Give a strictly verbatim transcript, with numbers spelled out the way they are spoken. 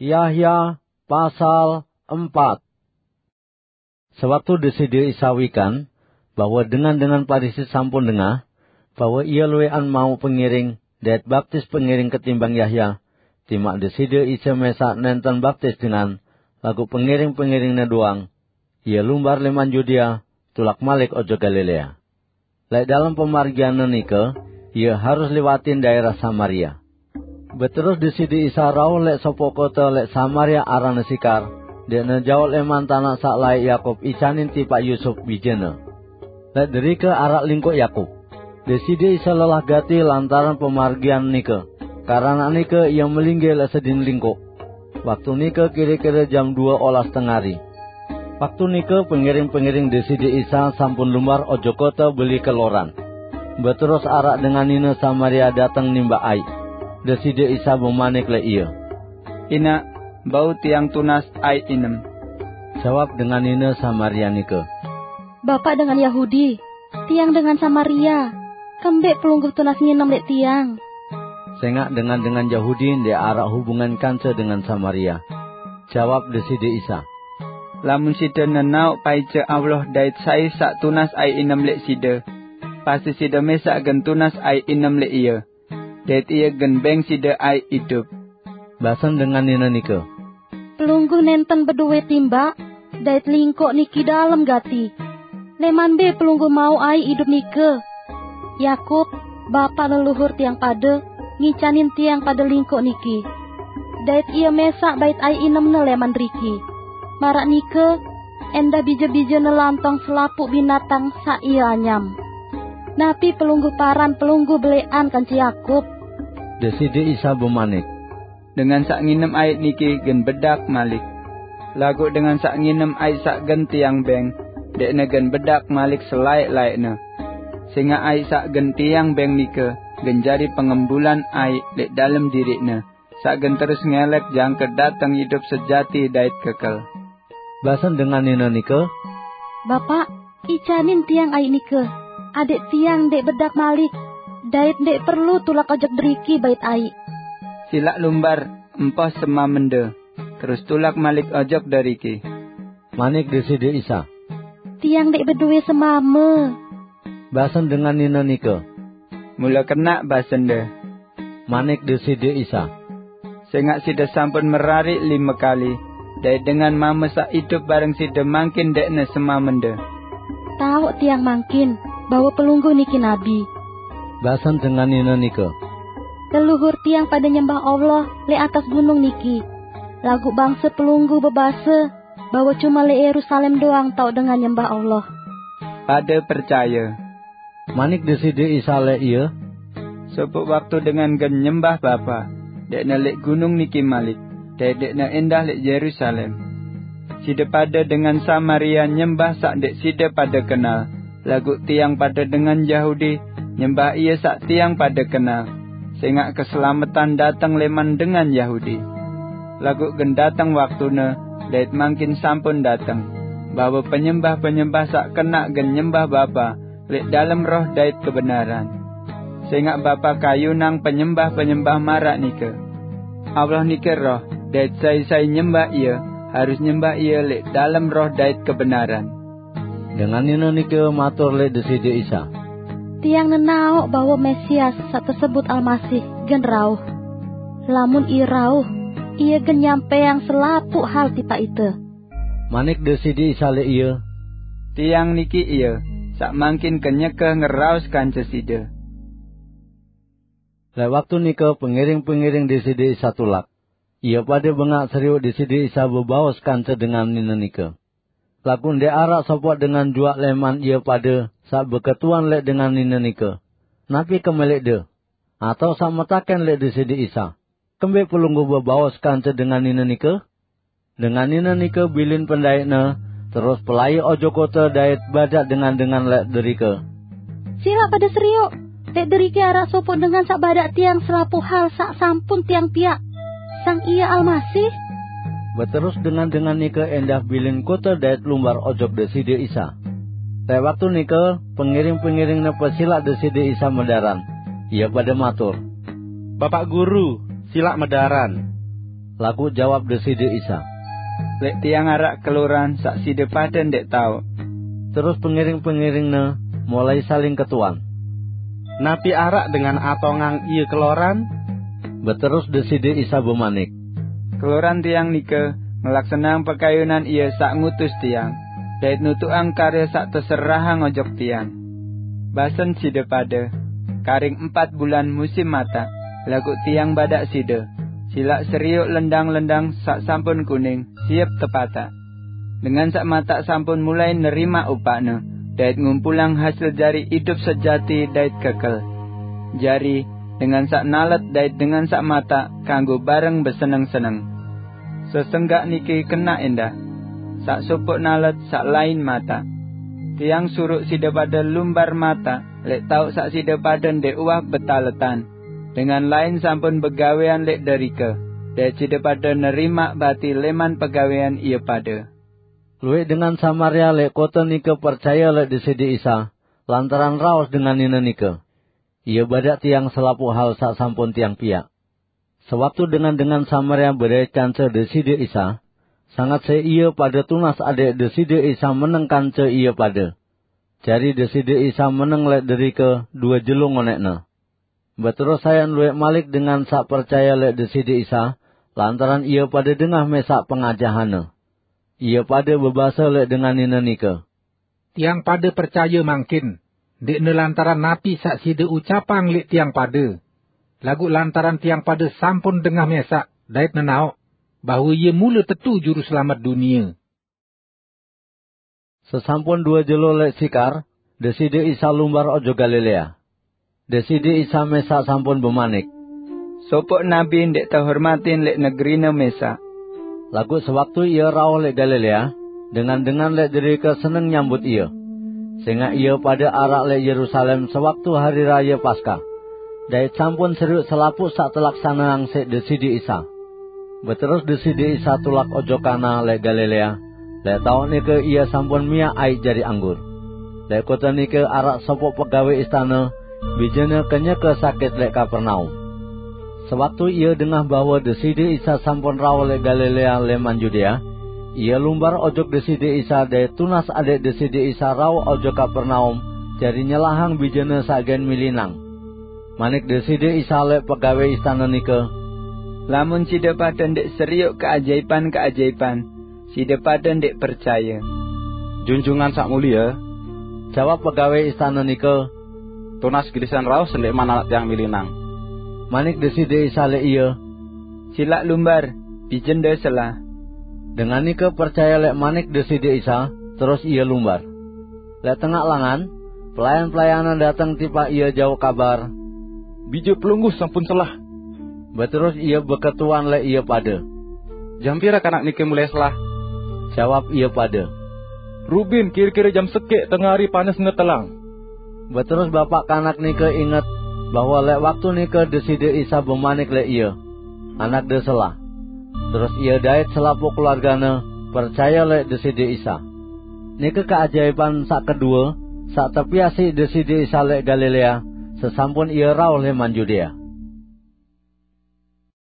Yahya pasal empat. Sewaktu Deside Isa wikan bahwa dengan-dengan Parisi sampun dengah bahwa Ia luwekan mau pengiring dait baptis pengiring ketimbang Yahya, timak Deside Isa mesak nenten baptis dengan, laguq pengiring-pengiring-Ne doang, Ia lumbar leman Yudea, tulak malik ojok Galilea. Leq dalem pamargian-Ne nike, Ia harus liwatin daerah Samaria. Beterus Deside Isa rauh leq sopoq kote leq Samaria aranne Sikar, ndeqne jaoq leman tanaq saq laeq Yakub icanin tipaq Yusup bijene. Leq derike araq lingkoq Yakub. Deside Isa lelah gati lantaran pamargian nike, karanaq nike Ia melinggih leq sedin lingkoq. Waktu nike kire-kire jam due olas tengari. Waktu nike pengiring-pengiring Deside Isa sampun lumbar ojok kote beli keloran. Beterus araq dengan nine Samaria dateng nimbaq aiq. Deside Isa bemanik leq ie, "Inaq, bau tiang tunas aiq inem." Jawab dengan nine Samaria nike, "Bapa dengan Yahudi, tiang dengan Samaria. Kembeq Pelungguh tunas nginem leq tiang?" Sengaq dengan-dengan Yahudi ndeq araq hubungan kance dengan Samaria. Jawab Deside Isa, "Lamun side nenaoq paice Allah dait sai saq tunas aiq inem leq side, pasti side mesaq gen tunas aiq inem leq Ie, dait Ie gen beng side aiq idup." Basen dengan nine nike, "Pelungguh nenten bedowe timbaq dait lingkoq niki dalem gati. Leman mbe Pelungguh mauq aiq idup nike? Yakub, bapa leluhur tiang pade, ngicanin tiang pade lingkoq niki. Dait ie mesaq bait aiq inemne leman deriki. Maraq nike, endah bije-bijene lantong selapuq binatang saq ie anyam. Napi Pelungguh paran Pelungguh beleqan kance Yakub?" Deside Isa bemanik, "Dengan saq nginem aiq niki gen bedak malik. Laguq dengan saq nginem aiq saq gen tiang beng, ndeqne gen bedak malik selaeq-laeqne. Sengaq aiq saq gen tiang beng nike gen jari pengembulan aiq leq dalem diriqne, saq gen terus ngelek jangke dateng idup sejati dait kekel." Basen dengan nine nike, "Bapa, icanin tiang aiq nike, adaq tiang ndeq bedak malik, dait ndeq perlu tulak ojok deriki bait aiq." "Silaq lumbar, empoh semamende, terus tulak malik ojok deriki." Manik Deside Isa, "Tiang ndeq bedowe semame." Basen dengan nine nike, "Mule kenaq basende." Manik Deside Isa, "Sengaq side sampun merariq lime kali, dait dengan mame saq idup bareng side mangkin ndeqne semamende." "Taoq tiang mangkin bahwe Pelungguh niki nabi." Basen dengan nine nike, "Leluhur tiang pade nyembah Allah leq atas gunung niki, laguq bangse Pelungguh bebase bahwe cume leq Yerusalem doang taoq dengan nyembah Allah." "Pade percaye," manik Deside Isa leq ie, "sopoq waktu dengan gen nyembah Bapa, ndeqne leq gunung niki malik, dait ndeqne endah leq Yerusalem. Side pade dengan Samaria nyembah saq ndeq side pade kenal, laguq tiang pade dengan Yahudi nyembah Ie saq tiang pade kenal, sengaq keselametan dateng leman dengan Yahudi. Laguq gen dateng waktune, dait mangkin sampun dateng, bahwe penyembah-penyembah saq kenaq gen nyembah Bapa leq dalem roh dait kebenaran. Sengaq Bapa kayunang penyembah-penyembah maraq nike. Allah nike Roh, dait sai-sai nyembah Ie, harus nyembah Ie leq dalem roh dait kebenaran." Dengan nine nike matur leq Deside Isa, "Tiang nenaoq bahwe Mesias saq tesebut Almasih gen rauh. Lamun Ie rauh, Ie gen nyampeang selapuq hal tipaq ite." Manik Deside Isa leq ie, "Tiang niki Ie, saq mangkin kenyeke ngeraos kance side." Leq waktu nike pengiring-pengiring Deside Isa tulak. Ie pade bengaq serioq Deside Isa bebaos kance dengan nine nike. Laguq ndeq araq sopoq dengan juaq leman ie pade saq beketuan leq dengan nine nike, "Napi kemeleqde?" atao saq metaken leq Deside Isa, "Kembeq Pelungguh bebaos kance dengan nine nike?" Dengan nine nike bilin pendaiqne, terus pelai ojok kote dait badaq dengan-dengan leq derike, "Silaq pade serioq! Leq deriki araq sopoq dengan saq badaq tiang selapuq hal saq sampun tiang piaq. Sang Ie Almasih." Beterus dengan-dengan nike endah bilin kote dait lumbar ojok Deside Isa. Leq waktu nike, pengiring-pengiring-Ne pesilaq Deside Isa medaran. Ie pade matur, "Bapaq Guru, silaq medaran." Laguq jawab Deside Isa, "Leq tiang araq keloran saq side pade ndeq taoq." Terus pengiring-pengiring-Ne mulai saling ketuan, "Napi araq dengan atongang Ie keloran?" Beterus Deside Isa bemanik, "Keloran Tiang nike ngelaksaneang pekayunan Ie saq ngutus Tiang, dait nutuqang karye saq teserahang ojok Tiang. Basen side pade, karing empat bulan musim mataq, laguq Tiang badaq side, silaq serioq lendang-lendang saq sampun kuning, siep tepataq. Dengan saq mataq sampun mulai nerimaq upaqne, dait ngumpulang hasil jari idup sejati dait kekel. Jari, dengan saq nalet dait dengan saq mataq kanggo bareng beseneng-seneng. Sesenggak niki kenaq endah, saq sopoq nalet, saq lain mataq. Tiang suruq side pade lumbar mataq leq taoq saq side pade ndeq uwah betaletan. Dengan lain sampun begawean leq derike, dait side pade nerimaq bati leman pegawean ie pade." Lueq dengan Samaria leq kote nike percaye leq Deside Isa lantaran raos dengan nine nike. Ie badaq tiang selapuq hal saq sampun tiang piaq. Sewaktu dengan-dengan Samaria bedait kance Deside Isa, sanget siq ie pade tunas adẽq Deside Isa meneng kance ie pade. Jari Deside Isa meneng leq derike due jelo ngoneqne. Beterus sayan lueq malik dengan saq percaye leq Deside Isa lantaran ie pade dengah mesaq pengajahanne. Ie pade bebase leq dengan nine nike, "Tiang pade percaye mangkin, ndeqne lantaran napi saq side ucapang leq tiang pade, laguq lantaran tiang pade sampun dengah mesaq dait nenaoq bahwe Ie mule tetu Juruselamet dunie." Sesampun due jelo leq Sikar, Deside Isa lumbar ojok Galilea. Deside Isa mesaq sampun bemanik, "Sopoq nabi ndeq tehormatin leq negerine mesaq." Laguq sewaktu Ie rauh leq Galilea, dengan-dengan leq derike seneng nyambut Ie, sengaq ie pade araq leq Yerusalem sewaktu hari raye Paskah, dait sampun serioq selapuq saq telaksaneang siq Deside Isa. Beterus Deside Isa tulak ojok Kana leq Galilea, leq taoq nike Ie sampun miaq aiq jari anggur. Leq kote nike araq sopoq pegawe istane, bijene kenyeke sakit leq Kapernaum. Sewaktu ie dengah bahwe Deside Isa sampun rauh leq Galilea leman Yudea, ie lumbar ojok Deside Isa dait tunas adẽq Deside Isa rauh ojok Kapernaum jari nyelahang bijene saq gen milinang. Manik Deside Isa leq pegawe istane nike, "Lamun side pade ndeq serioq keajaipan-keajaipan, side pade ndeq percaye." "Junjungan Saq Mulie," jawab pegawe istane nike, "tunas gilisan rauh sendẽqman anak tiang milinang." Manik Deside Isa leq ie, "Silaq lumbar, bijende selah." Dengan nike percaye leq manik Deside Isa, terus ie lumbar. Leq tengaq langan, pelayan-pelayanne dateng tipaq ie jauq kabar, "Bije Pelungguh sampun selah." Beterus ie beketuan leq ie pade, "Jam pire kanak nike mulai selah?" Jawab ie pade, "Rubin kire-kire jam sekeq tengari panesne telang." Beterus bapaq kanak nike inget bahwe leq waktu nike Deside Isa bemanik leq ie, "Anakde selah." Terus ie dait selapuq keluargane percaye leq Deside Isa. Nike keajaipan saq kedue saq tepiaq siq Deside Isa leq Galilea sesampun Ie rauh leman Yudea.